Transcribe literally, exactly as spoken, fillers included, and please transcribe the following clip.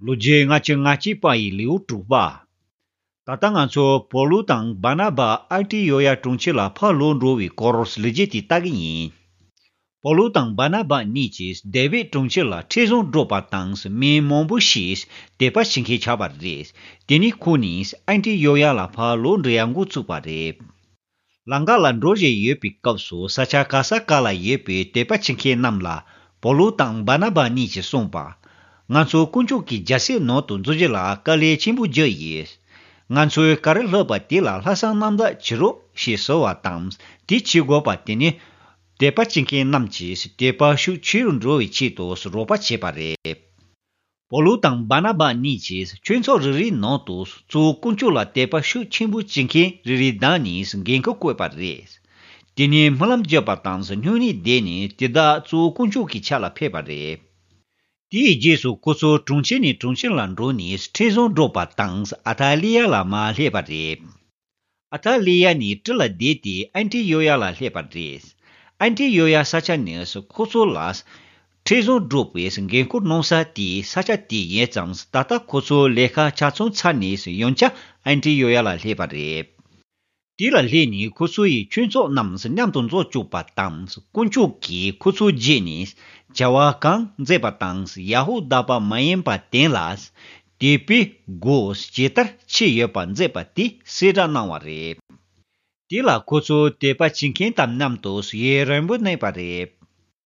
ལོ་རྒྱུས་ལྔ་བཅུ་ང་གཅིག་པ་ཡི་ལེའུ་དྲུག་པ། ད་ལྟ་ང་ཚོ་པོ་ལུ་དང་བར་ན་བ་ཨན་ཏི་ཡོ་ཡ་གྲོང་ཁྱེར་ལ་ཕར་ལོག་འགྲོ་བའི་སྐོར་ལོ་རྒྱུས་དེ་ལྟ་གི་ཡིན། པོ་ལུ་དང་བར་ན་བ་གཉིས་ཀྱིས་དེ་བི་གྲོང་ཁྱེར་ལ་ཁྲིམས་བཟོ་འགྲོ་པ་དང་མི་མང་པོ་ཞིག་དད་པ་བྱེད་མཁན་ཆགས་པ་རེད། དེ་ནས་ཁོ་གཉིས་ཨན་ཏི་ཡོ་ཡ་ལ་ཕར་ལོག་འགྲོ་ཡ་འགོ་བཙུགས་པ་རེད། ལམ་ཁ་ལ་འགྲོ་བཞིན་ཡོད་པའི་སྐབས་སུ་ས་ཆ་ག་ས་ག་ལ་ཡོད་པའི་དད་པ་བྱེད་མཁན་རྣམས་ལ་པོ་ལུ་དང་བར་ན་བ་གཉིས་ཀྱིས་གསུངས་པ། ང་ཚོ་དཀོན་མཆོག་གི་རྒྱལ་སྲིད་ནང་དུ་འཛུལ་རྒྱུ་ལ་དཀའ་ལས་ཆེན་པོ་བརྒྱབ་ཡོད། ང་ཚོས་ག་རེ་ལྷག་པ་དེ་ལ་ལྷག་བསམ་རྣམ་དག་བྱེད་རོགས་ཞེས་ཟེར་བ་དང་། དེ་བྱེད་དགོས་པ་དེ་ནི་དད་པ་བྱེད་མཁན་རྣམས་ཀྱིས་དད་པ་ཤུགས་ཆེ་རུ་འགྲོ་བའི་ཆེད་དུ་རོགས་པ་བྱས་པ་རེད། པོ་ལུ་དང་བར་ན་བ་གཉིས་ཀྱིས་ཆོས་ཚོགས་རེ་རེའི་ནང་དུ་གཙོ་བོ་དཀོན་མཆོག་ལ་དད་པ་ཤུགས་ཆེན་པོ་བྱེད་མཁན་རེ་རེ་བདམས་ནས་འགན་ཁུར་བསྐོས་པ་རེད། དེ་ནས་སྨོན་ལམ་བརྒྱབ་པ་དང་སྨྱུང་གནས་བསྡད་ནས་དེ་དག་གཙོ་བོ་དཀོན་མཆོག་གི་ཕྱག་ལ་ཕུལ་བ་རེད། དེའི་རྗེས་སུ་ཁོ་ཚོ་གྲོང་ཁྱེར་ནས་གྲོང་ཁྱེར་ལ་འགྲོ་ནས་ཁྲིམས་བཟོ་འགྲོ་པ་དང་ཨ་ཐ་ལི་ཡ་ལ་མར་སླེབས་པ་རེད། ཨ་ཐ་ལི་ཡ་ནས་གྲུ་ལ་བསྡད་དེ་ཨན་ཏི་ཡོ་ཡ་ལ་སླེབས་པ་རེད། ཨན་ཏི་ཡོ་ཡ་ས་ཆ་ནི་ཁོ་ཚོ་ལ་ཁྲིམས་བཟོ་འགྲོ་པའི་འགན་ཁུར་གནང་ས་དེའི་ས་ཆ་དེ་ཡིན་ཙང་། ད་ལྟ་ཁོ་ཚོ་ལས་ཀ་ཆ་ཚང་ཚར་ནས་ཡང་བསྐྱར་ཨན་ཏི་ཡོ་ཡ་ལ་སླེབས་པ་རེད། དེ་ལ་སླེབས་ནས་ཁོ་ཚོ་ཡི་ཁྱོད་ཚོ་རྣམས་མཉམ་དུ་འཛོམས་བཅུག་པ་དང་། དཀོན་མཆོག་གིས་ཁོ་ཚོ་རྗེས་ནས་བྱ་བ་གང་མཛད་པ་དང་ཡ་ཧུ་དཱ་པ་མ་ཡིན་པ་དེ་ལ་དད་པའི་སྒོ་ཇི་ལྟར་ཕྱེ་ཡོད་པ་མཛད་པ་དེ་གསལ་བསྒྲགས་གནང་བ་རེད། དེ་ལ་ཁོ་ཚོ་དད་པ་བྱེད་མཁན་དང་མཉམ་དུ་ཡུན་རིང་པོ་གནས་པ་རེད།